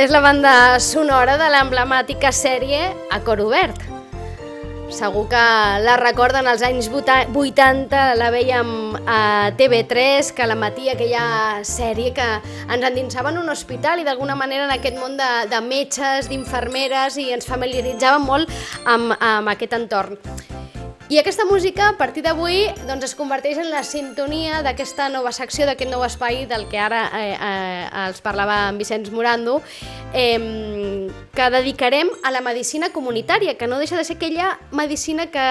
És la banda sonora de l'emblemàtica sèrie A Cor Obert. Segur que la recorden als anys 80, la veiem a TV3, que la matí aquella sèrie que ens endinsava en un hospital i d'alguna manera en aquest món de metges, d'infermeres, i ens familiaritzava molt amb aquest entorn. I aquesta música, a partir d'avui, doncs, es converteix en la sintonia d'aquesta nova secció, d'aquest nou espai del que ara els parlava en Vicenç Morando, que dedicarem a la medicina comunitària, que no deixa de ser aquella medicina que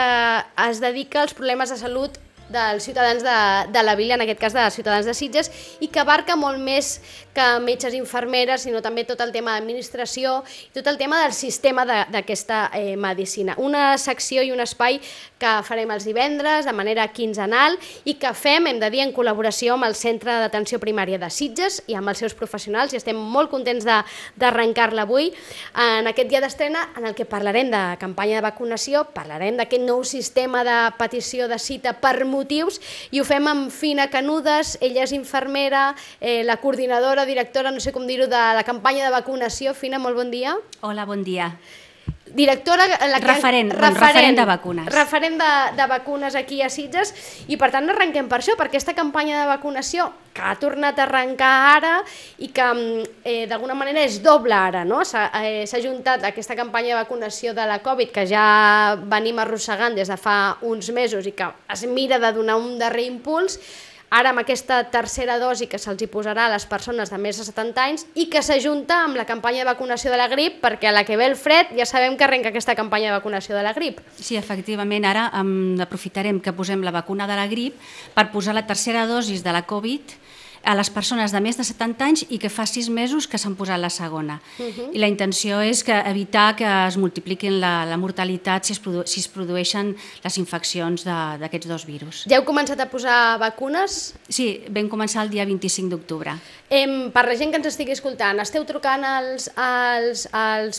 es dedica als problemes de salut dels ciutadans de la vila, en aquest cas dels ciutadans de Sitges, i que abarca molt més que metges i infermeres, sinó també tot el tema d'administració i tot el tema del sistema d'aquesta medicina. Una secció i un espai que farem els divendres de manera quinzenal i que fem, hem de dir, en col·laboració amb el Centre d'Atenció Primària de Sitges i amb els seus professionals, i estem molt contents d'arrencar-la avui en aquest dia d'estrena en el que parlarem de campanya de vacunació, parlarem d'aquest nou sistema de petició de cita per motius, i ho fem amb Fina Canudes. Ella és infermera, la coordinadora, directora, no sé com dir-ho, de la campanya de vacunació. Fina, molt bon dia. Hola, bon dia. Directora... Referent de vacunes. Referent de vacunes aquí a Sitges, i per tant arrenquem per això, per aquesta campanya de vacunació que ha tornat a arrencar ara i que d'alguna manera és doble ara, no? S'ha juntat aquesta campanya de vacunació de la Covid que ja venim arrossegant des de fa uns mesos i que es mira de donar un darrer impuls, ara amb aquesta tercera dosi que se'ls hi posarà a les persones de més de 70 anys i que s'ajunta amb la campanya de vacunació de la grip, perquè a la que ve el fred ja sabem que arrenca aquesta campanya de vacunació de la grip. Sí, efectivament, ara aprofitarem que posem la vacuna de la grip per posar la tercera dosi de la Covid a les persones de més de 70 anys i que fa 6 mesos que s'han posat la segona. I la intenció és evitar que es multipliquin la mortalitat si es produeixen les infeccions d'aquests dos virus. Ja heu començat a posar vacunes? Sí, vam començar el dia 25 d'octubre. Per la gent que ens estigui escoltant, esteu trucant als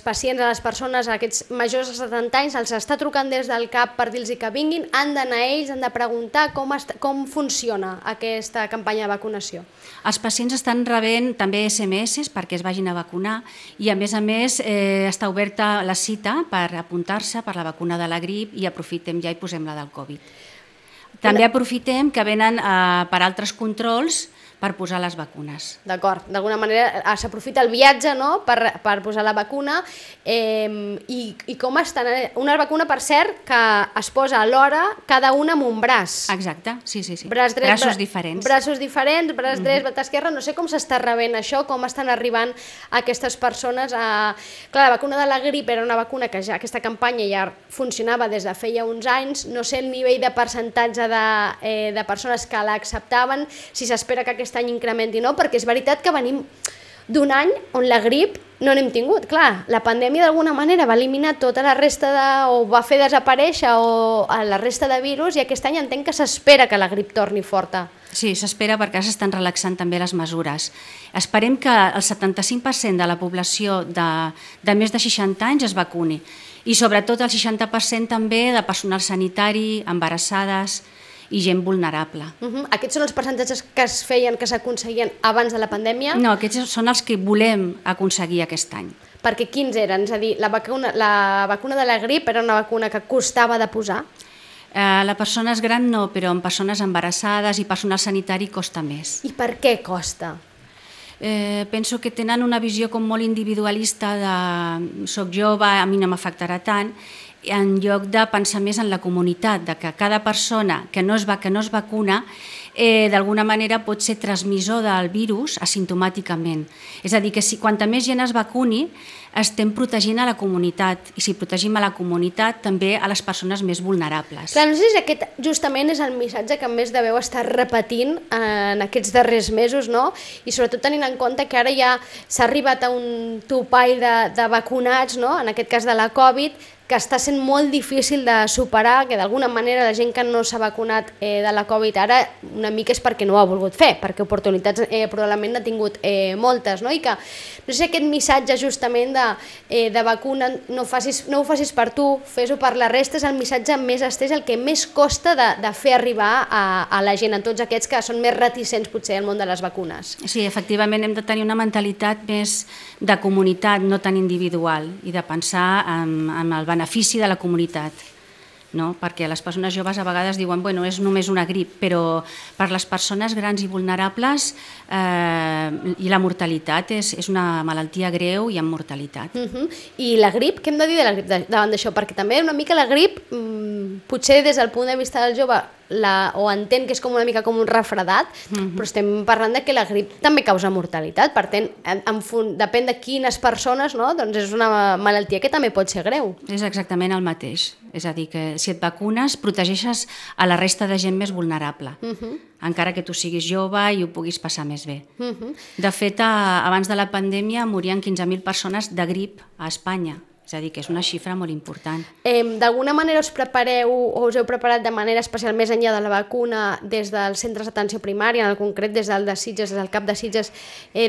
pacients, a les persones, a aquests majors de 70 anys, els està trucant des del CAP per dir-los que vinguin, han d'anar ells, han de preguntar com funciona aquesta campanya de vacunació? Els pacients estan rebent també SMS perquè es vagin a vacunar i a més està oberta la cita per apuntar-se per la vacuna de la grip i aprofitem ja i posem la del Covid. També aprofitem que venen per altres controls per posar les vacunes. D'acord, d'alguna manera s'aprofita el viatge, no?, per posar la vacuna. I com estan? Una vacuna, per cert, que es posa alhora cada una amb un braç. Exacte, sí. Braços diferents. Braços diferents, braç dret, braç esquerre. No sé com s'està rebent això, com estan arribant aquestes persones. Clar, la vacuna de la grip era una vacuna que ja aquesta campanya ja funcionava des de feia uns anys. No sé el nivell de percentatge de persones que l'acceptaven, si s'espera que aquest any incrementi, no? Perquè és veritat que venim d'un any on la grip no n'hem tingut. Clar, la pandèmia d'alguna manera va eliminar tota la resta o va fer desaparèixer la resta de virus, i aquest any entenc que s'espera que la grip torni forta. Sí, s'espera perquè s'estan relaxant també les mesures. Esperem que el 75% de la població de més de 60 anys es vacuni i sobretot el 60% també de personal sanitari, embarassades i gent vulnerable. Aquests són els percentatges que es feien, que s'aconseguien abans de la pandèmia? No, aquests són els que volem aconseguir aquest any. Perquè quins eren? És a dir, la vacuna de la grip era una vacuna que costava de posar? La persones gran no, però en persones embarassades i personal sanitari costa més. I per què costa? Penso que tenen una visió com molt individualista de soc jove, a mi no m'afectarà tant, en lloc de pensar més en la comunitat, de que cada persona que no es vacuna d'alguna manera pot ser transmissor del virus asimptomàticament. És a dir, que quanta més gent es vacuni, estem protegint a la comunitat, i si protegim a la comunitat també a les persones més vulnerables. Clar, no sé si aquest justament és el missatge que més deveu estar repetint en aquests darrers mesos, no? I sobretot tenint en compte que ara ja s'ha arribat a un topall de vacunats, no?, en aquest cas de la Covid, que està sent molt difícil de superar, que d'alguna manera la gent que no s'ha vacunat de la Covid ara una mica és perquè no ho ha volgut fer, perquè oportunitats probablement n'ha tingut moltes, no? I que no sé, aquest missatge justament de vacuna, no ho facis per tu, fes-ho per la resta, és el missatge més estès, el que més costa de fer arribar a la gent, a tots aquests que són més reticents potser al món de les vacunes. Sí, efectivament hem de tenir una mentalitat més de comunitat, no tan individual, i de pensar en el benefici de la comunitat, no? Perquè les persones joves a vegades diuen bueno, és només una grip, però per les persones grans i vulnerables i la mortalitat és una malaltia greu i amb mortalitat. I la grip, què hem de dir de la grip davant d'això? Perquè també una mica la grip, potser des del punt de vista del jove o entén que és com una mica com un refredat, però estem parlant de que la grip també causa mortalitat, per tant, depèn de quines persones, no? Doncs és una malaltia que també pot ser greu. És exactament el mateix, és a dir, que si et vacunes protegeixes a la resta de gent més vulnerable, encara que tu siguis jove i ho puguis passar més bé. De fet, abans de la pandèmia morien 15.000 persones de grip a Espanya. És a dir, que és una xifra molt important. D'alguna manera us prepareu o us heu preparat de manera especial més enllà de la vacuna des dels centres d'atenció primària, en concret des del de Sitges, des del CAP de Sitges,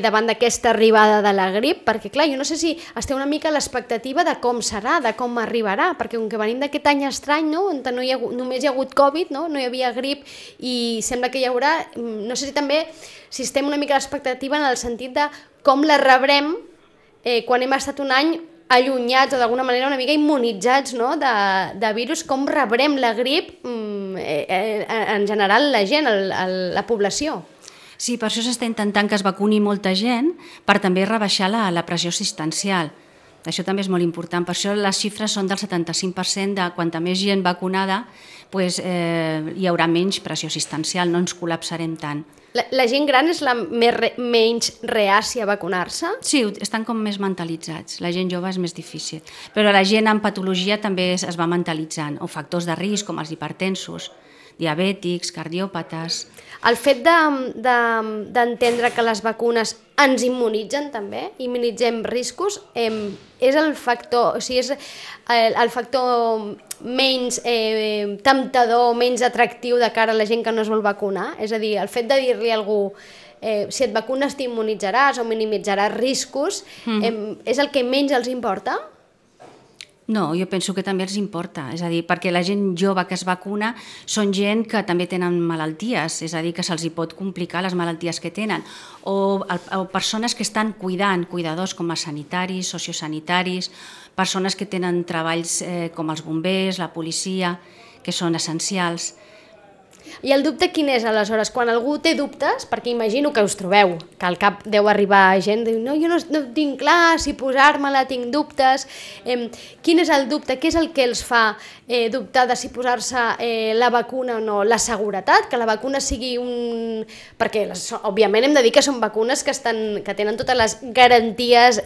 davant d'aquesta arribada de la grip? Perquè clar, jo no sé si esteu una mica a l'expectativa de com serà, de com arribarà, perquè com que venim d'aquest any estrany, no? On només hi ha hagut Covid, no hi havia grip i sembla que hi haurà, no sé si també si estem una mica a l'expectativa en el sentit de com la rebrem quan hem estat un any allunyats o d'alguna manera una mica immunitzats, no? de virus, com rebrem la grip en general la gent, la població. Sí, per això s'està intentant que es vacuni molta gent per també rebaixar la pressió assistencial. Això també és molt important, per això les xifres són del 75% de quanta més gent vacunada hi haurà menys pressió assistencial, no ens col·lapsarem tant. La gent gran és la menys reàcia a vacunar-se? Sí, estan com més mentalitzats. La gent jove és més difícil. Però la gent amb patologia també es va mentalitzant, o factors de risc com els hipertensos, diabètics, cardiòpates. El fet d'entendre que les vacunes ens immunitzen també, immunitzem riscos, és el factor, o sigui, és el factor menys temptador, menys atractiu de cara a la gent que no es vol vacunar? És a dir, el fet de dir-li a algú si et vacunes t'immunitzaràs o minimitzaràs riscos, és el que menys els importa? No, jo penso que també els importa, és a dir, perquè la gent jove que es vacuna són gent que també tenen malalties, és a dir, que se'ls hi pot complicar les malalties que tenen, o persones que estan cuidadors com a sanitaris, sociosanitaris, persones que tenen treballs com els bombers, la policia, que són essencials. I el dubte quin és, aleshores? Quan algú té dubtes, perquè imagino que us trobeu, que al cap deu arribar gent, diu, no, jo no tinc clar si posar-me-la, tinc dubtes. Quin és el dubte? Què és el que els fa dubtar de si posar-se la vacuna o no? La seguretat, que la vacuna sigui un... Perquè, òbviament, hem de dir que són vacunes que tenen totes les garanties,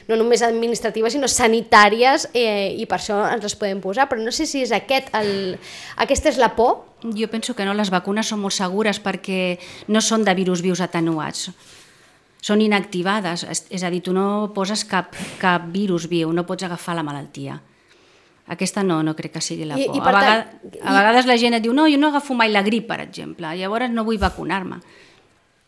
no només administratives, sinó sanitàries, i per això ens les podem posar. Però no sé si és aquesta és la por. Jo penso que no, les vacunes són molt segures perquè no són de virus vius atenuats, són inactivades, és a dir, tu no poses cap virus viu, no pots agafar la malaltia. Aquesta no crec que sigui la por. A vegades la gent et diu, no, jo no agafo mai la grip, per exemple, llavors no vull vacunar-me.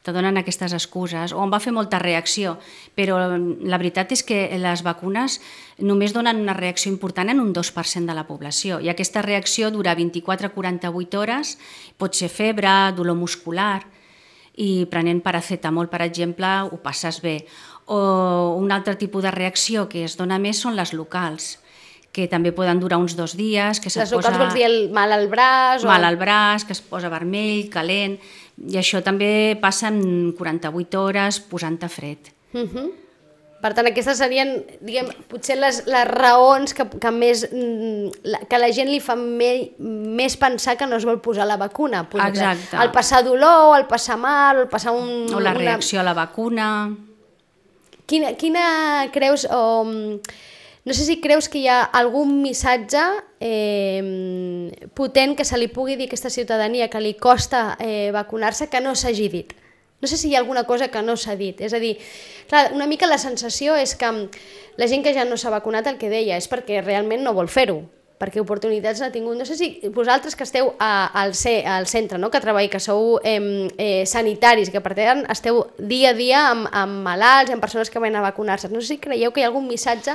Te donen aquestes excuses, o em va fer molta reacció, però la veritat és que les vacunes només donen una reacció important en un 2% de la població, i aquesta reacció dura 24 a 48 hores, pot ser febre, dolor muscular, i prenent paracetamol, per exemple, ho passes bé. O un altre tipus de reacció que es dona més són les locals, que també poden durar uns 2 dies. Les locals vols dir el mal al braç? Mal al braç, que es posa vermell, calent, i això també passa en 48 hores posant-te fred. Per tant, aquestes serien, diguem, potser les raons que la gent li fa més pensar que no es vol posar la vacuna. Exacte. El passar dolor, el passar mal, el passar o la reacció a la vacuna. Quina creus, no sé si creus que hi ha algun missatge potent que se li pugui dir a aquesta ciutadania que li costa vacunar-se que no s'hagi dit? No sé si hi ha alguna cosa que no s'ha dit. És a dir, clar, una mica la sensació és que la gent que ja no s'ha vacunat, el que deia, és perquè realment no vol fer-ho, perquè oportunitats n'ha tingut. No sé si vosaltres que esteu al centre, no? Que treballeu, que sou sanitaris, que per tant esteu dia a dia amb malalts, amb persones que van a vacunar-se. No sé si creieu que hi ha algun missatge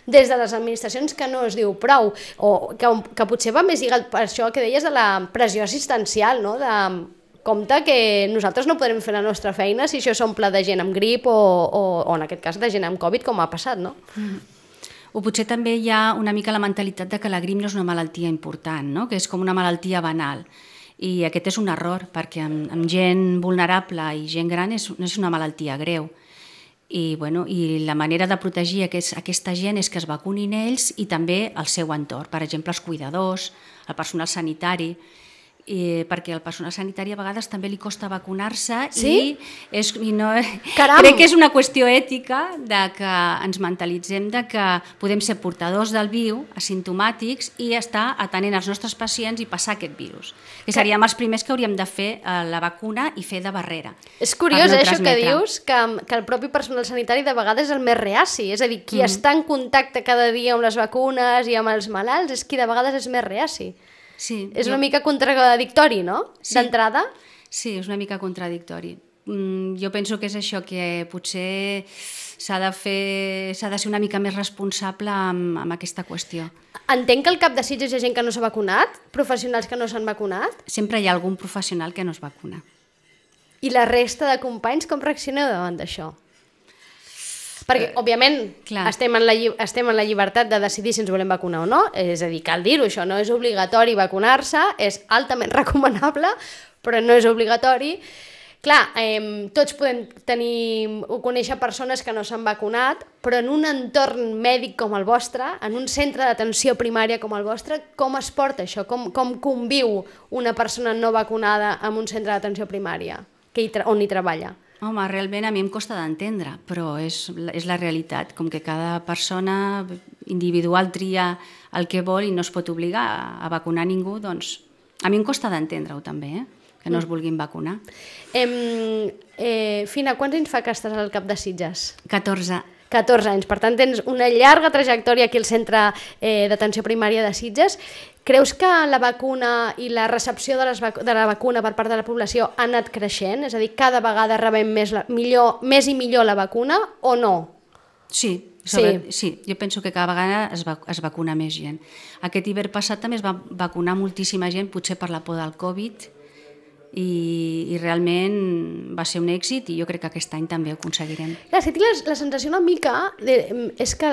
des de les administracions que no es diu prou, o que potser va més lligat per això que deies de la pressió assistencial, no? De compte que nosaltres no podrem fer la nostra feina si això s'omple de gent amb grip o en aquest cas de gent amb Covid, com ha passat, no? O potser també hi ha una mica la mentalitat de que la grip no és una malaltia important, no? Que és com una malaltia banal. I aquest és un error, perquè amb gent vulnerable i gent gran no és una malaltia greu. I la manera de protegir aquesta gent és que es vacunin ells i també el seu entorn, per exemple els cuidadors, el personal sanitari, perquè al personal sanitari a vegades també li costa vacunar-se. Sí? Crec que és una qüestió ètica de que ens mentalitzem de que podem ser portadors del virus, asimptomàtics, i estar atenent els nostres pacients i passar aquest virus. Que seríem els primers que hauríem de fer la vacuna i fer de barrera. És curiós, això que dius, que el propi personal sanitari de vegades és el més reaci, és a dir, qui està en contacte cada dia amb les vacunes i amb els malalts és qui de vegades és més reaci. Sí, és una mica contradictori, no? Sí. D'entrada? Sí, és una mica contradictori. Jo penso que és això, que potser s'ha de ser una mica més responsable amb aquesta qüestió. Entenc que al cap de Sitges hi ha gent que no s'ha vacunat? Professionals que no s'han vacunat? Sempre hi ha algun professional que no es vacuna. I la resta de companys com reaccioneu davant d'això? Perquè, òbviament, estem en la llibertat de decidir si ens volem vacunar o no, és a dir, cal dir-ho, això no és obligatori vacunar-se, és altament recomanable, però no és obligatori. Clar, tots podem conèixer persones que no s'han vacunat, però en un entorn mèdic com el vostre, en un centre d'atenció primària com el vostre, com es porta això? Com conviu una persona no vacunada en un centre d'atenció primària on hi treballa? Home, realment a mi em costa d'entendre, però és la realitat. Com que cada persona individual tria el que vol i no es pot obligar a vacunar ningú, doncs a mi em costa d'entendre-ho també, que no es vulguin vacunar. Fina, quants anys fa que estàs al cap de Sitges? 14. 14 anys, per tant tens una llarga trajectòria aquí al Centre d'Atenció Primària de Sitges. Creus que la vacuna i la recepció de la vacuna per part de la població ha anat creixent? És a dir, cada vegada rebem més i millor la vacuna o no? Sí, jo penso que cada vegada es vacuna més gent. Aquest hivern passat també es va vacunar moltíssima gent, potser per la por del Covid, i realment va ser un èxit i jo crec que aquest any també ho aconseguirem. Clar, si tinc la sensació una mica és que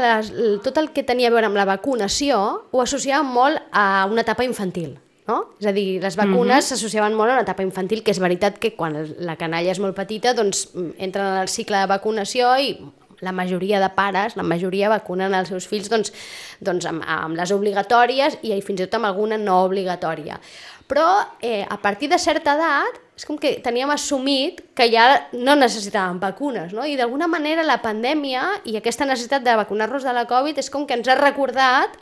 tot el que tenia a veure amb la vacunació ho associàvem molt a una etapa infantil, no? És a dir, les vacunes s'associaven molt a una etapa infantil, que és veritat que quan la canalla és molt petita doncs entren en el cicle de vacunació i la majoria de pares, la majoria vacunen els seus fills doncs amb les obligatòries i fins i tot amb alguna no obligatòria. Però a partir de certa edat és com que teníem assumit que ja no necessitàvem vacunes, no? I d'alguna manera la pandèmia i aquesta necessitat de vacunar-nos de la Covid és com que ens ha recordat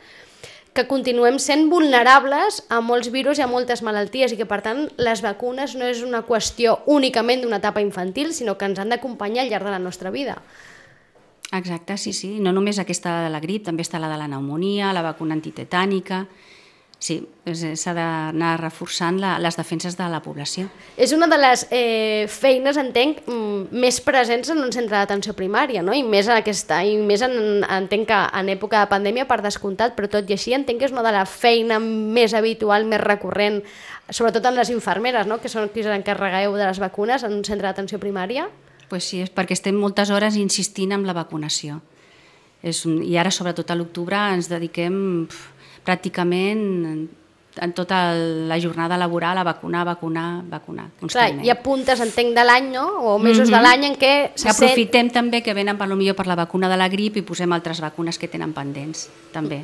que continuem sent vulnerables a molts virus i a moltes malalties i que per tant les vacunes no és una qüestió únicament d'una etapa infantil, sinó que ens han d'acompanyar al llarg de la nostra vida. Exacte, sí. No només aquesta de la grip, també està la de la pneumònia, la vacuna antitetànica. Sí, s'ha d'anar reforçant les defenses de la població. És una de les feines, entenc, més presents en un centre d'atenció primària, no? I més entenc que en època de pandèmia per descomptat, però tot i així entenc que és una de les feines més habitual, més recurrent, sobretot en les infermeres, no? Que són qui s'encarregueu de les vacunes en un centre d'atenció primària. Pues sí, és perquè estem moltes hores insistint en la vacunació. I ara, sobretot a l'octubre, ens dediquem pràcticament en tota la jornada laboral a vacunar constantment. Clar, hi ha puntes, entenc, de l'any, no? O mesos de l'any en què aprofitem també que venen potser per la vacuna de la grip i posem altres vacunes que tenen pendents, també.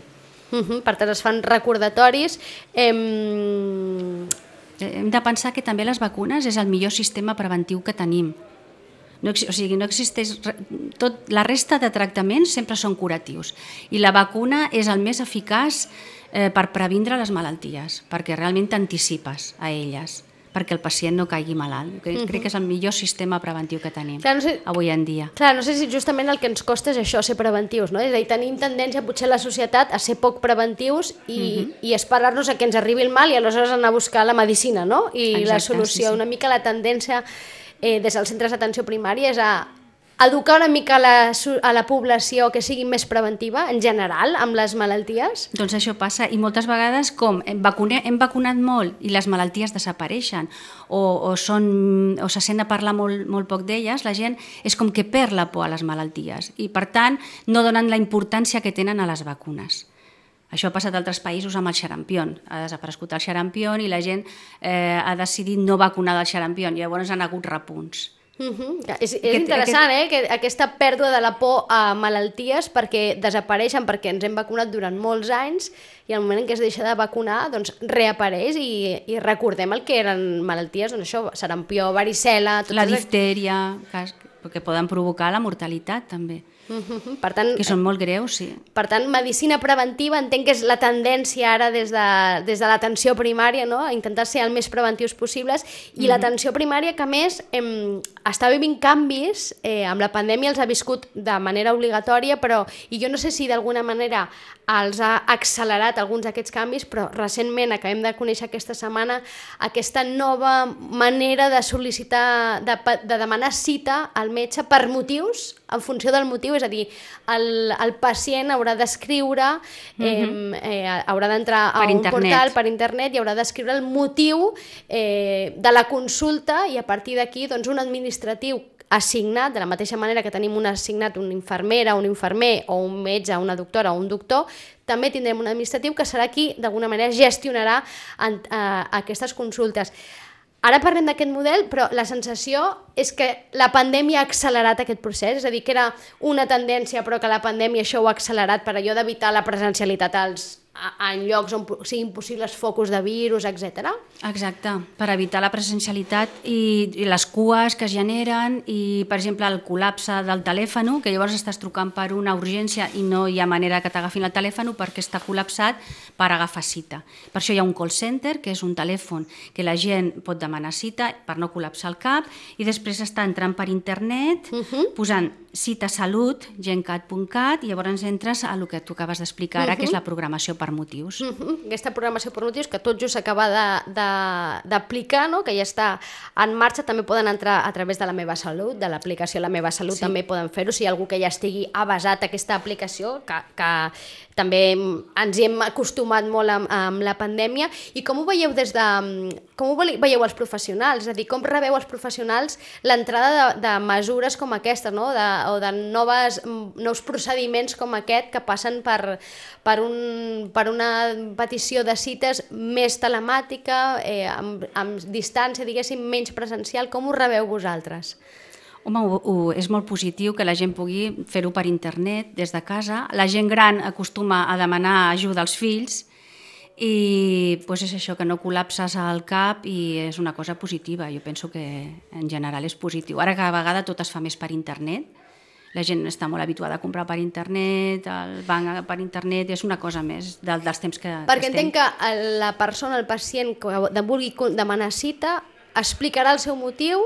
Per tant, es fan recordatoris. Hem de pensar que també les vacunes és el millor sistema preventiu que tenim. No existeix... La resta de tractaments sempre són curatius i la vacuna és el més eficaç per previndre les malalties, perquè realment t'anticipes a elles. perquè el pacient no caigui malalt. Crec que és el millor sistema preventiu que tenim avui en dia. Clar, no sé si justament el que ens costa és això, ser preventius, no? És a dir, tenim tendència potser a la societat a ser poc preventius i esperar-nos a que ens arribi el mal i aleshores anar a buscar la medicina, no? I la solució. Una mica la tendència des dels centres d'atenció primària és a educar una mica a la població que sigui més preventiva, en general, amb les malalties? Doncs això passa, i moltes vegades hem vacunat molt i les malalties desapareixen o se sent a parlar molt poc d'elles, la gent és com que perd la por a les malalties i per tant no donen la importància que tenen a les vacunes. Això ha passat a altres països amb el xarampió. Ha desaparegut el xarampió i la gent ha decidit no vacunar del xarampió i llavors han hagut repunts. És interessant, que aquesta pèrdua de la por a malalties perquè desapareixen, perquè ens hem vacunat durant molts anys i al moment en què es deixa de vacunar doncs reapareix i recordem el que eren malalties, doncs això, sarampió, varicel·la... La diftèria, que poden provocar la mortalitat també. Per tant, que són molt greus, sí. Per tant, medicina preventiva entenc que és la tendència ara des de l'atenció primària, no? A intentar ser el més preventius possibles i l'atenció primària que a més està vivint canvis, amb la pandèmia els ha viscut de manera obligatòria, i jo no sé si d'alguna manera els ha accelerat alguns d'aquests canvis, però recentment acabem de conèixer aquesta setmana aquesta nova manera de sol·licitar, de demanar cita al metge per motius, en funció del motiu, és a dir, el pacient haurà d'escriure, haurà d'entrar a un portal per internet i haurà d'escriure el motiu de la consulta i a partir d'aquí doncs, un administratiu assignat, de la mateixa manera que tenim un assignat una infermera, un infermer o un metge, una doctora o un doctor, també tindrem un administratiu que serà qui d'alguna manera gestionarà aquestes consultes. Ara parlem d'aquest model, però la sensació és que la pandèmia ha accelerat aquest procés, és a dir, que era una tendència però que la pandèmia això ho ha accelerat per allò d'evitar la presencialitat en llocs on siguin possibles focus de virus, etc. Exacte, per evitar la presencialitat i les cues que es generen i, per exemple, el col·lapse del telèfon, que llavors estàs trucant per una urgència i no hi ha manera que t'agafin el telèfon perquè està col·lapsat per agafar cita. Per això hi ha un call center, que és un telèfon que la gent pot demanar cita per no col·lapsar el cap i després està entrant per internet, posant cita salut, gencat.cat i llavors entres a el que tu acabes d'explicar ara, que és la programació per motius. Aquesta programació per motius que tot just s'acaba d'aplicar, no? Que ja està en marxa, també poden entrar a través de La Meva Salut, de l'aplicació La Meva Salut, també poden fer-ho, si hi ha algú que ja estigui avasat a aquesta aplicació, que també ens hi hem acostumat molt amb la pandèmia. I com ho veieu com ho veieu els professionals? És a dir, com rebeu els professionals l'entrada de mesures com aquestes, no? O de nous procediments com aquest que passen per una petició de cites més telemàtica, amb distància, diguéssim, menys presencial. Com ho rebeu vosaltres? Home, és molt positiu que la gent pugui fer-ho per internet, des de casa. La gent gran acostuma a demanar ajuda als fills i és això, que no col·lapses al cap i és una cosa positiva. Jo penso que en general és positiu. Ara cada vegada tot es fa més per internet. La gent està molt habituada a comprar per internet, el banc per internet, és una cosa més dels temps que Perquè entenc que la persona, el pacient que vulgui demanar cita, explicarà el seu motiu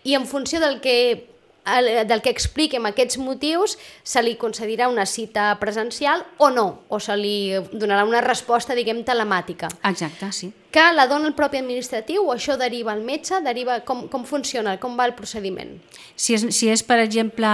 i en funció del que expliqui amb aquests motius se li concedirà una cita presencial o no, o se li donarà una resposta, diguem, telemàtica. Exacte, sí. Que la dona el propi administratiu o això deriva al metge? Com funciona? Com va el procediment? Si és, per exemple,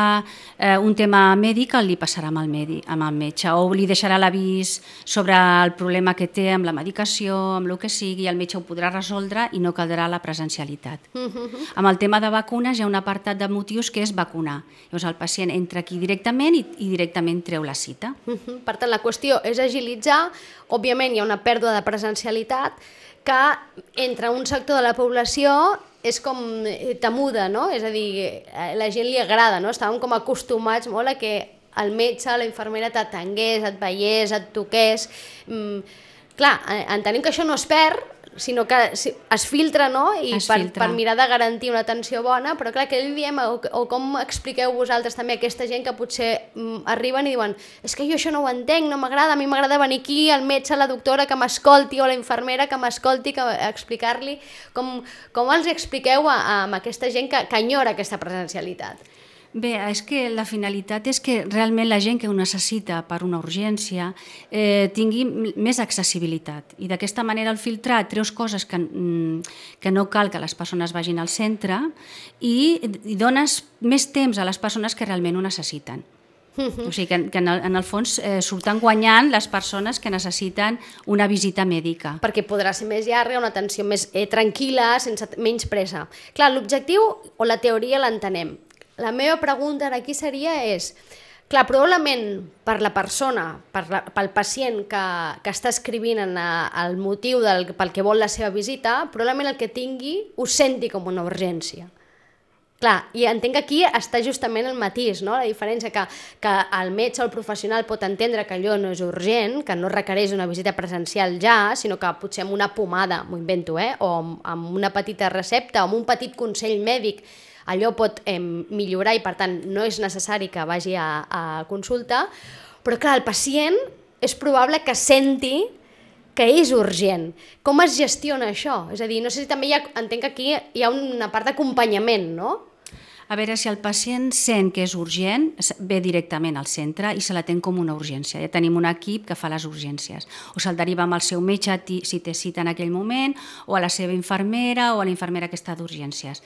un tema mèdic, li passarà amb el metge o li deixarà l'avís sobre el problema que té amb la medicació, amb el que sigui, el metge ho podrà resoldre i no caldrà la presencialitat. Amb el tema de vacunes hi ha un apartat de motius que és vacunar. Llavors el pacient entra aquí directament i directament treu la cita. Per tant, la qüestió és agilitzar. Òbviament hi ha una pèrdua de presencialitat que entre un sector de la població és com temuda, no? És a dir, a la gent li agrada, no? Estàvem com acostumats molt a que el metge, la infermera t'atengués, et veiés, et toqués. Clar, entenem que això no es perd, sinó que es filtra, no? I per mirar de garantir una atenció bona, però clar, que diem, o com expliqueu vosaltres també a aquesta gent que potser arriben i diuen és que jo això no ho entenc, no m'agrada, a mi m'agrada venir aquí, el metge, la doctora que m'escolti o la infermera que m'escolti, explicar-li, com els expliqueu a aquesta gent que enyora aquesta presencialitat? Bé, és que la finalitat és que realment la gent que ho necessita per una urgència tingui més accessibilitat i d'aquesta manera al filtrat treus coses que no cal que les persones vagin al centre i dones més temps a les persones que realment ho necessiten. O sigui que en el fons surten guanyant les persones que necessiten una visita mèdica. Perquè podrà ser més llarga, una atenció més tranquil·la, sense menys pressa. Clar, l'objectiu o la teoria l'entenem. La meva pregunta aquí seria clar, probablement per la persona, pel pacient que està escrivint el motiu pel que vol la seva visita, probablement el que tingui ho senti com una urgència. Clar, i entenc que aquí està justament el matís, no? La diferència que el metge o el professional pot entendre que allò no és urgent, que no requereix una visita presencial ja, sinó que potser amb una pomada, m'ho invento, o amb una petita recepta, o amb un petit consell mèdic, allò pot millorar i per tant no és necessari que vagi a consulta, però clar, el pacient és probable que senti que és urgent. Com es gestiona això? És a dir, no sé si també entenc que aquí hi ha una part d'acompanyament, no? A veure, si el pacient sent que és urgent, ve directament al centre i se l'atén com una urgència. Ja tenim un equip que fa les urgències. O se'l deriva amb el seu metge si té cita en aquell moment, o a la seva infermera o a la infermera que està d'urgències.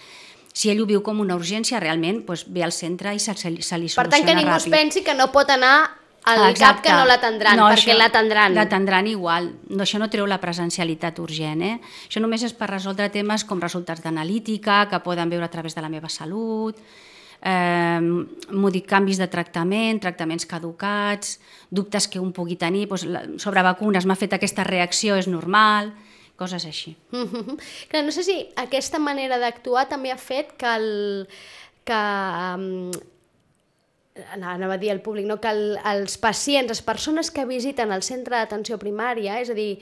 Si ell ho viu com una urgència, realment ve al centre i se li soluciona ràpid. Per tant, que ningú es pensi que no pot anar al cap que no l'atendran, perquè l'atendran. L'atendran igual. Això no treu la presencialitat urgent. Això només és per resoldre temes com resultats d'analítica, que poden veure a través de la meva salut, canvis de tractament, tractaments caducats, dubtes que un pugui tenir, sobre vacunes m'ha fet aquesta reacció, és normal, coses així. Clar, no sé si aquesta manera d'actuar també ha fet anava a dir al públic, no? Que els pacients, les persones que visiten el centre d'atenció primària, és a dir,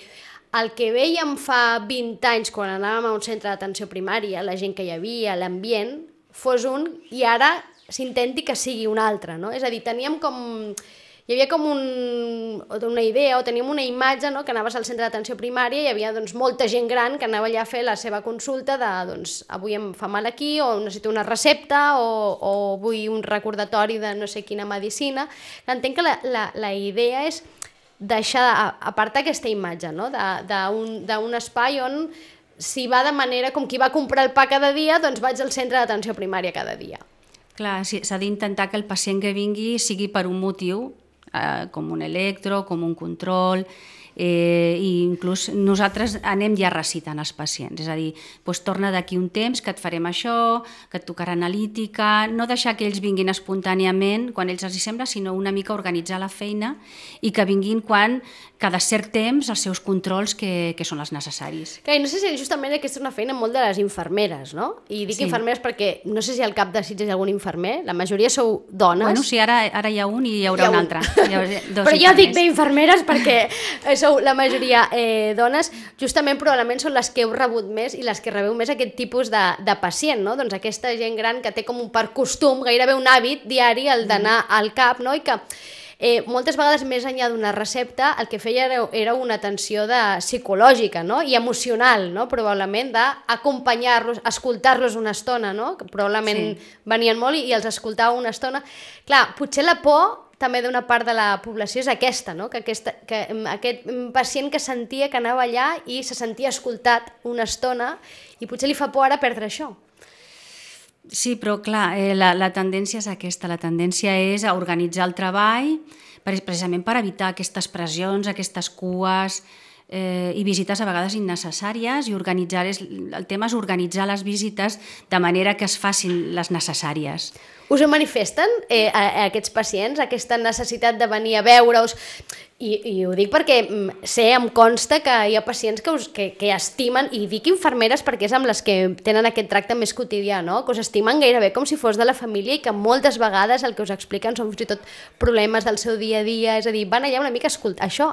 el que vèiem fa 20 anys quan anàvem a un centre d'atenció primària, la gent que hi havia, l'ambient, fos un, i ara s'intenti que sigui un altre, no? És a dir, hi havia com una idea o teníem una imatge, no? Que anaves al centre d'atenció primària i hi havia molta gent gran que anava allà a fer la seva consulta de avui em fa mal aquí o necessito una recepta o vull un recordatori de no sé quina medicina. Entenc que la idea és apartar aquesta imatge, no? d'un espai on si va de manera com qui va comprar el pa cada dia, doncs vaig al centre d'atenció primària cada dia. Clar, s'ha d'intentar que el pacient que vingui sigui per un motiu, com un electro, com un control, i inclús nosaltres anem ja recitant els pacients, és a dir, torna d'aquí un temps que et farem això, que et tocarà analítica, no deixar que ells vinguin espontàniament quan ells els hi sembla, sinó una mica organitzar la feina i que vinguin quan cada cert temps els seus controls que són els necessaris. I no sé si justament aquesta és una feina molt de les infermeres, no? I dic infermeres perquè no sé si al cap de Sitges hi ha algun infermer, la majoria sou dones. Bueno, sí, ara hi ha un i hi haurà un altre. Però jo dic bé infermeres perquè sou la majoria dones, justament probablement són les que heu rebut més i les que rebeu més aquest tipus de pacient, no? Doncs aquesta gent gran que té com per costum, gairebé un hàbit diari el d'anar al CAP, no? I que moltes vegades més enllà d'una recepta el que feia era una atenció psicològica, no? I emocional, no? Probablement d'acompanyar-los, escoltar-los una estona, no? Que probablement venien molt i els escoltava una estona. Clar, potser la por també d'una part de la població és aquesta, no? Que aquest pacient que sentia que anava allà i se sentia escoltat una estona i potser li fa por ara perdre això. Sí, però clar, la tendència és aquesta, la tendència és a organitzar el treball precisament per evitar aquestes pressions, aquestes cues i visites a vegades innecessàries i el tema és organitzar les visites de manera que es facin les necessàries. Us ho manifesten aquests pacients, aquesta necessitat de venir a veure-us? I ho dic perquè em consta que hi ha pacients que estimen, i dic infermeres perquè és amb les que tenen aquest tracte més quotidià, no? Que us estimen gairebé com si fos de la família i que moltes vegades el que us expliquen són fins i tot problemes del seu dia a dia, és a dir, van allà una mica a escoltar això,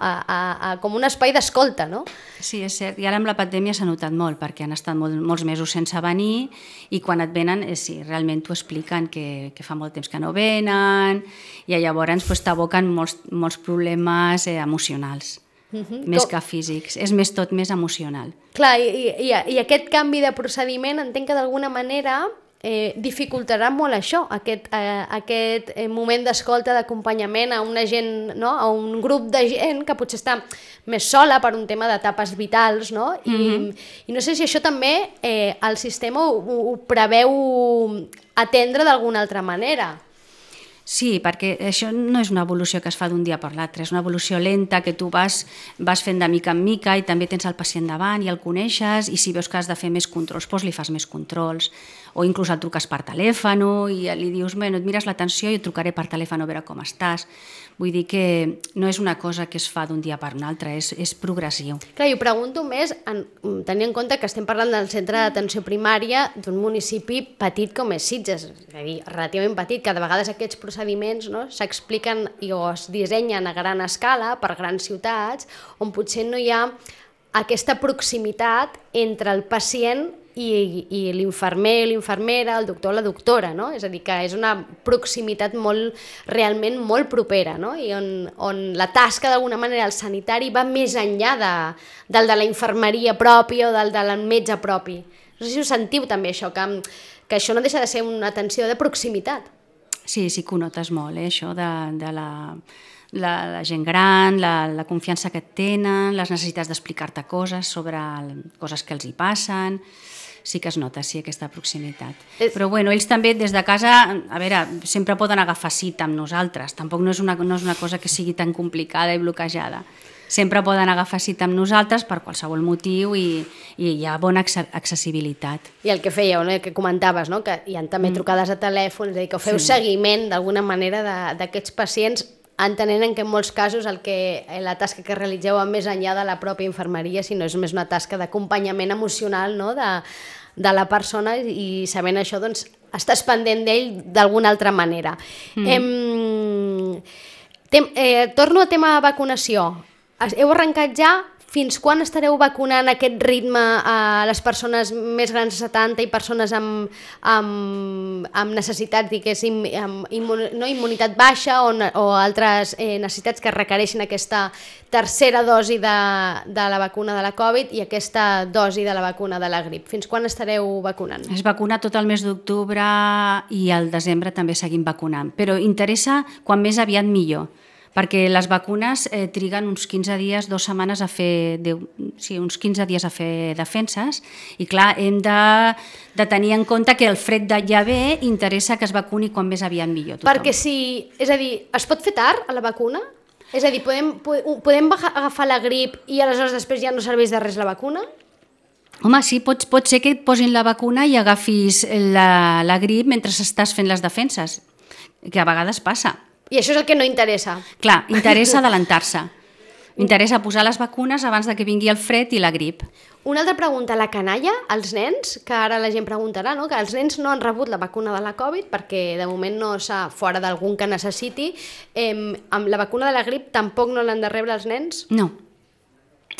com un espai d'escolta, no? Sí, és cert, i ara amb la pandèmia s'ha notat molt perquè han estat molts mesos sense venir i quan et venen, sí, realment t'ho expliquen que fa molt temps que no venen i llavors t'aboquen molts problemes emocionals, més que físics. És tot més emocional. Clar, i aquest canvi de procediment entenc que d'alguna manera dificultarà molt això, aquest moment d'escolta, d'acompanyament a una gent, no? A un grup de gent que potser està més sola per un tema d'etapes vitals, no? I no sé si això també el sistema ho preveu atendre d'alguna altra manera. Sí, perquè això no és una evolució que es fa d'un dia per l'altre, és una evolució lenta que tu vas fent de mica en mica i també tens el pacient davant i el coneixes i si veus que has de fer més controls, doncs li fas més controls o inclús el truques per telèfon i li dius, bueno, et mires l'atenció i et trucaré per telèfon a veure com estàs. Vull dir que no és una cosa que es fa d'un dia per un altre, és progressiu. Clar, jo pregunto més, tenint en compte que estem parlant del centre d'atenció primària d'un municipi petit com és Sitges, és a dir, relativament petit, que de vegades aquests procediments, no, s'expliquen o es dissenyen a gran escala per grans ciutats, on potser no hi ha aquesta proximitat entre el pacient i l'infermer, l'infermera, el doctor o la doctora, no? És a dir, que és una proximitat realment molt propera, no? I on la tasca d'alguna manera del sanitari va més enllà del de la infermeria pròpia o del del metge propi. No sé si ho sentiu també això, que això no deixa de ser una atenció de proximitat. Sí, sí que ho notes molt, això de la gent gran, la confiança que et tenen, les necessitats d'explicar-te coses sobre coses que els hi passen. Sí que es nota, sí, aquesta proximitat. Però bueno, ells també des de casa, a veure, sempre poden agafar cita amb nosaltres, tampoc no és una cosa que sigui tan complicada i bloquejada. Sempre poden agafar cita amb nosaltres per qualsevol motiu i hi ha bona accessibilitat. I el que fèieu, no? El que comentaves, no? Que hi ha també trucades a telèfon, és a dir, que feu seguiment d'alguna manera d'aquests pacients, entenent que en molts casos la tasca que realitzeu va més enllà de la pròpia infermeria, sinó és més una tasca d'acompanyament emocional, no? de la persona i sabent això doncs, estàs pendent d'ell d'alguna altra manera. Torno a tema vacunació. Heu arrencat ja? Fins quan estareu vacunant aquest ritme a les persones més grans de 70 i persones amb necessitats, diguéssim, no immunitat baixa o altres necessitats que requereixen aquesta tercera dosi de la vacuna de la Covid i aquesta dosi de la vacuna de la grip? Fins quan estareu vacunant? Es vacuna tot el mes d'octubre i al desembre també seguim vacunant, però interessa quan més aviat millor, perquè les vacunes triguen uns 15 dies, 2 setmanes a fer, uns 15 dies a fer defenses i clar, hem de tenir en compte que el fred de ja ve interessa que es vacuni quan més aviat millor tothom. Perquè és a dir, es pot fer tard a la vacuna? És a dir, podem agafar la grip i aleshores després ja no serveix de res la vacuna? Home, sí, pot ser que et posin la vacuna i agafis la grip mentre estàs fent les defenses, que a vegades passa. I això és el que no interessa. Clar, interessa adelantar-se. Interessa posar les vacunes abans de que vingui el fred i la grip. Una altra pregunta, la canalla, els nens, que ara la gent preguntarà, no? Que els nens no han rebut la vacuna de la Covid perquè de moment no s'ha, fora d'algun que necessiti, amb la vacuna de la grip tampoc no l'han de rebre els nens? No,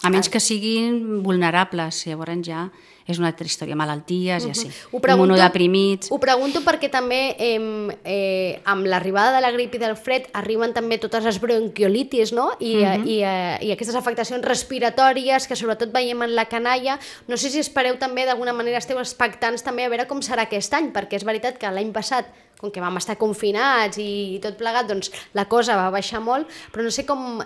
a menys que siguin vulnerables, llavors ja és una altra història, malalties i així, immunodeprimits. Ho pregunto perquè també amb l'arribada de la grip i del fred arriben també totes les bronquiolitis, no? I aquestes afectacions respiratòries que sobretot veiem en la canalla. No sé si espereu també, d'alguna manera esteu expectants també a veure com serà aquest any, perquè és veritat que l'any passat, com que vam estar confinats i tot plegat, doncs la cosa va baixar molt, però no sé com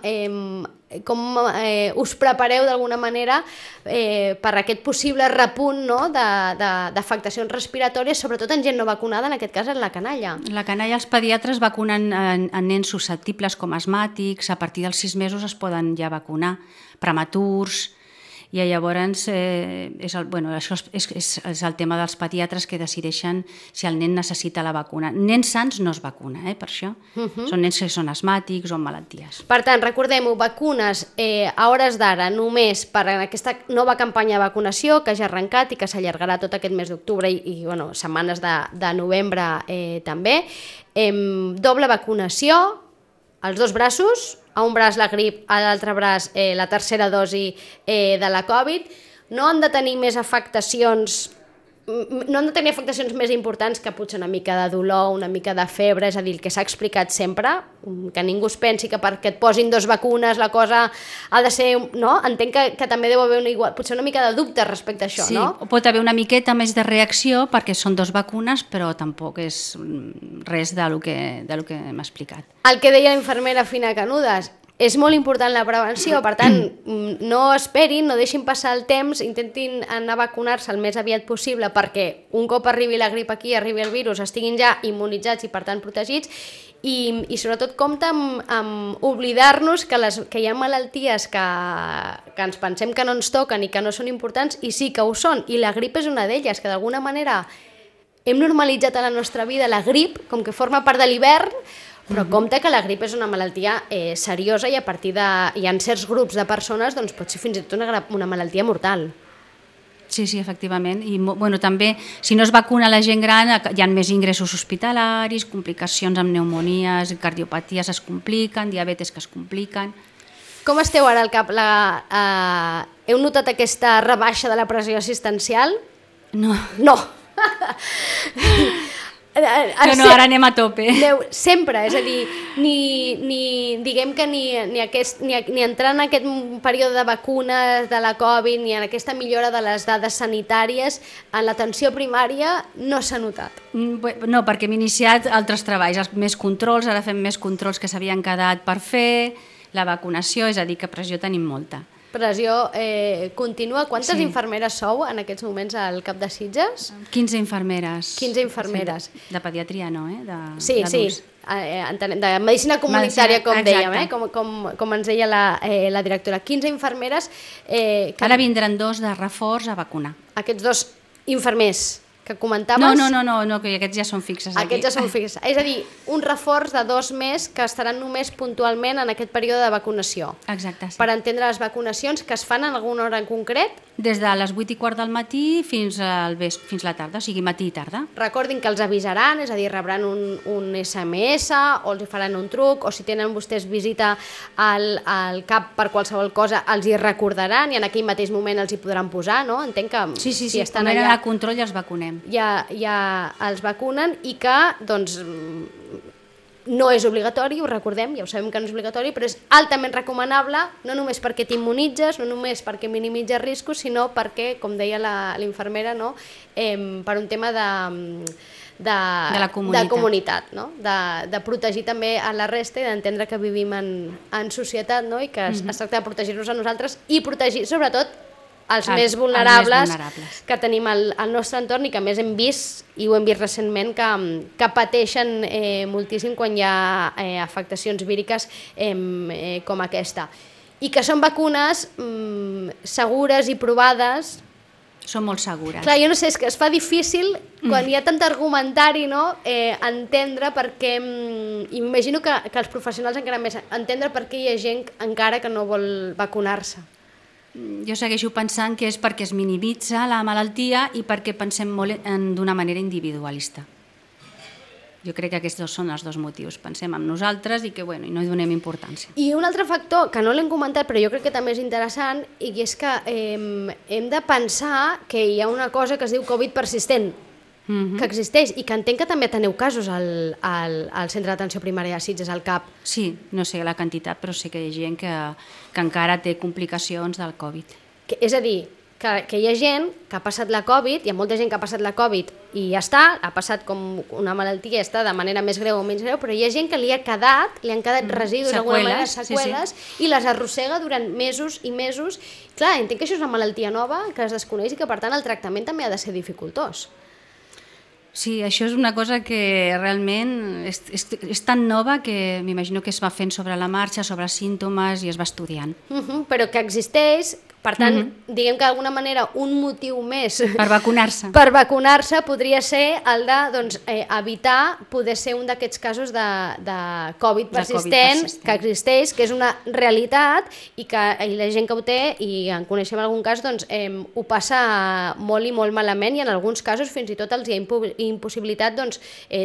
us prepareu d'alguna manera per aquest possible repunt, no? d'afectacions respiratòries, sobretot en gent no vacunada, en aquest cas en la canalla. La canalla, els pediatres vacunen en nens susceptibles com asmàtics, a partir dels 6 mesos es poden ja vacunar, prematurs, I llavors això és el tema dels pediatres que decideixen si el nen necessita la vacuna. Nens sans no es vacuna, per això. Són nens que són asmàtics o amb malalties. Per tant, recordem-ho, vacunes a hores d'ara només per aquesta nova campanya de vacunació que ja ha arrencat i que s'allargarà tot aquest mes d'octubre i setmanes de novembre també. Doble vacunació, als dos braços, a un braç la grip, a l'altre braç la tercera dosi de la Covid. No han de tenir afectacions més importants que potser una mica de dolor, una mica de febre, és a dir, el que s'ha explicat sempre, que ningú es pensi que perquè et posin 2 vacunes la cosa ha de ser... No? Entenc que també deu haver potser una mica de dubte respecte a això, sí, no? Sí, pot haver una miqueta més de reacció perquè són 2 vacunes, però tampoc és res del que hem explicat. El que deia la infermera Fina Canudes, és molt important la prevenció, per tant, no esperin, no deixin passar el temps, intentin anar a vacunar-se el més aviat possible perquè un cop arribi la grip aquí, arribi el virus, estiguin ja immunitzats i per tant protegits i sobretot compta amb oblidar-nos que hi ha malalties que ens pensem que no ens toquen i que no són importants i sí que ho són, i la grip és una d'elles, que d'alguna manera hem normalitzat a la nostra vida la grip com que forma part de l'hivern, però compte que la grip és una malaltia seriosa i a partir hi ha certs grups de persones doncs pot ser fins i tot una malaltia mortal. Sí, efectivament. I també, si no es vacuna la gent gran, hi ha més ingressos hospitalaris, complicacions amb pneumonies, cardiopaties es compliquen, diabetes que es compliquen. Com esteu ara al cap? Heu notat aquesta rebaixa de la pressió assistencial? No. No! Ara anem a tope. Sempre, és a dir, diguem que ni entrar en aquest període de vacunes de la Covid ni en aquesta millora de les dades sanitàries en l'atenció primària no s'ha notat. No, perquè hem iniciat altres treballs, més controls, ara fem més controls que s'havien quedat per fer, la vacunació, és a dir, que pressió tenim molta. Pressió contínua. Quantes infermeres sou en aquests moments al CAP de Sitges? 15 infermeres. 15 infermeres. Sí, de pediatria no, Sí, de medicina comunitària, com dèiem, com ens deia la directora. 15 infermeres... Ara vindran 2 de reforç a vacunar. Aquests 2 infermers que comentaves... No, que aquests ja són fixes aquí. Aquests ja són fixes. És a dir, un reforç de 2 més que estaran només puntualment en aquest període de vacunació. Exacte, sí. Per entendre les vacunacions que es fan en alguna hora en concret? Des de les 8:15 del matí fins la tarda, o sigui matí i tarda. Recordin que els avisaran, és a dir, rebran un SMS o els faran un truc, o si tenen vostès visita al CAP per qualsevol cosa, els hi recordaran i en aquell mateix moment els hi podran posar, no? Entenc que si estan allà... allà... a control ja els vacunem. Ja els vacunen i que, doncs, no és obligatori, ho recordem, ja ho sabem que no és obligatori, però és altament recomanable, no només perquè t'immunitzes, no només perquè minimitzes riscos, sinó perquè, com deia la infermera, no? Per un tema de la comunitat, no? De protegir també a la resta i d'entendre que vivim en societat, no? I que es tracta de protegir-nos a nosaltres i protegir, sobretot, els més vulnerables que tenim al nostre entorn i que a més hem vist, i ho hem vist recentment, que pateixen moltíssim quan hi ha afectacions víriques com aquesta. I que són vacunes segures i provades. Són molt segures. Clar, jo no sé, és que es fa difícil quan hi ha tant argumentari, no? Entendre per què, imagino que els professionals encara més, entendre per què hi ha gent encara que no vol vacunar-se. Jo segueixo pensant que és perquè es minimitza la malaltia i perquè pensem molt d'una manera individualista. Jo crec que aquests són els 2 motius. Pensem en nosaltres i que i no hi donem importància. I un altre factor que no l'hem comentat però jo crec que també és interessant i és que hem de pensar que hi ha una cosa que es diu Covid persistent, que existeix i que entenc que també teniu casos al centre d'atenció primària de Sitges, al CAP. Sí, no sé la quantitat, però sé que hi ha gent que encara té complicacions del Covid. És a dir, que hi ha gent que ha passat la Covid, hi ha molta gent que ha passat la Covid i ja està, ha passat com una malaltia, està de manera més greu o menys greu, però hi ha gent que li han quedat residus d'alguna manera, seqüeles, i les arrossega durant mesos i mesos. Clar, entenc que això és una malaltia nova, que es desconeix i que per tant el tractament també ha de ser dificultós. Sí, això és una cosa que realment és tan nova que m'imagino que es va fent sobre la marxa, sobre símptomes i es va estudiant. Però que existeix, Per tant, diguem que d'alguna manera un motiu més per vacunar-se podria ser el de evitar poder ser un d'aquests casos de Covid persistent que existeix, que és una realitat i que la gent que ho té, i en coneixem algun cas, ho passa molt i molt malament, i en alguns casos fins i tot els hi ha impossibilitat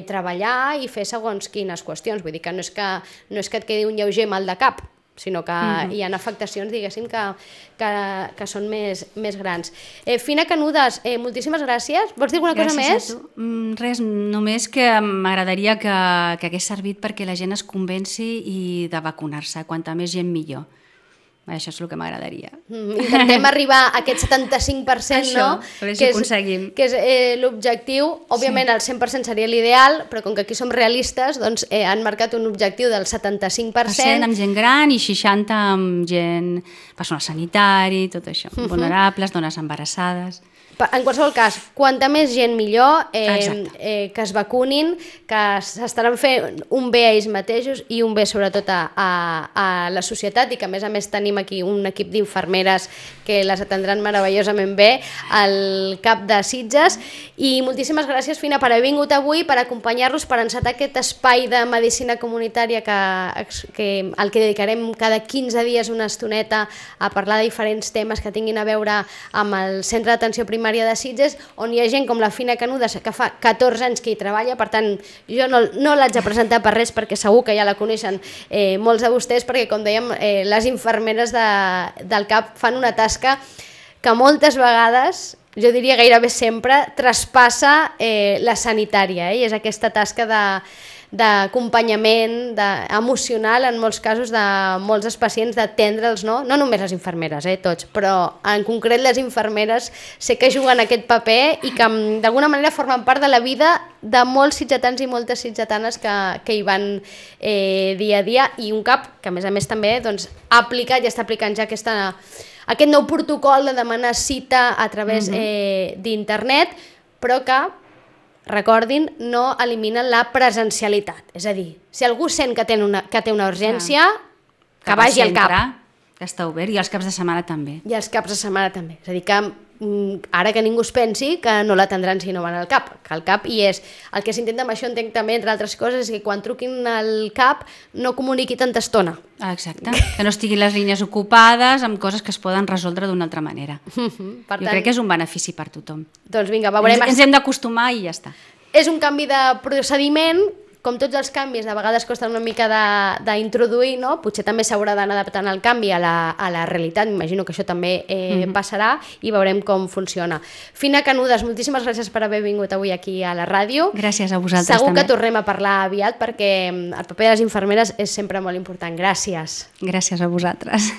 treballar i fer segons quines qüestions. Vull dir que no és que et quedi un lleuger mal de cap, sinó que hi ha afectacions, diguéssim, que són més grans. Fina Canudes, moltíssimes gràcies. Vols dir alguna cosa més? Gràcies a tu. Res, només que m'agradaria que hagués servit perquè la gent es convenci i de vacunar-se. Quanta més gent, millor. Això és el que m'agradaria. Intentem arribar a aquest 75%, no? A veure si ho aconseguim. Que és l'objectiu. Òbviament el 100% seria l'ideal, però com que aquí som realistes, han marcat un objectiu del 75%. Amb gent gran i 60% amb gent, personal sanitari, tot això. Vulnerables, dones embarassades. En qualsevol cas, quanta més gent millor, que es vacunin, que s'estaran fent un bé a ells mateixos i un bé sobretot a la societat, i que a més tenim aquí un equip d'infermeres que les atendran meravellosament bé al CAP de Sitges. I moltíssimes gràcies, Fina, per haver vingut avui, per acompanyar-los, per encetar aquest espai de medicina comunitària al que dedicarem cada 15 dies una estoneta a parlar de diferents temes que tinguin a veure amb el Centre d'Atenció Primària de Sitges, on hi ha gent com la Fina Canudes, que fa 14 anys que hi treballa. Per tant, jo no l'haig de presentar per res, perquè segur que ja la coneixen molts de vostès, perquè, com dèiem, les infermeres del CAP fan una tasca que moltes vegades, jo diria gairebé sempre, traspassa la sanitària, i és aquesta tasca d'acompanyament emocional, en molts casos, de molts dels pacients, d'atendre'ls, no només les infermeres, tots, però en concret les infermeres sé que juguen aquest paper i que d'alguna manera formen part de la vida de molts sitgetans i moltes sitgetanes que hi van dia a dia, i un CAP que a més també ha aplicat i està aplicant ja aquest nou protocol de demanar cita a través d'internet, però que, recordin, no eliminen la presencialitat. És a dir, si algú sent que té una urgència, que vagi al CAP. Que està obert, i els caps de setmana també. I els caps de setmana també. És a dir, que ara que ningú es pensi que no l'atendran si no van al CAP, que al CAP hi és. El que s'intenta amb això, entenc també, entre altres coses, és que quan truquin al CAP no comuniqui tanta estona. Exacte, que no estiguin les línies ocupades amb coses que es poden resoldre d'una altra manera. Jo crec que és un benefici per tothom. Doncs vinga, veurem. Ens hem d'acostumar i ja està. És un canvi de procediment, com tots els canvis, de vegades costa una mica d'introduir, no? Potser també s'haurà d'anar adaptant el canvi a la realitat, m'imagino que això també passarà, i veurem com funciona. Fina Canudes, moltíssimes gràcies per haver vingut avui aquí a la ràdio. Gràcies a vosaltres Segur també. Que tornem a parlar aviat, perquè el paper de les infermeres és sempre molt important. Gràcies. Gràcies a vosaltres.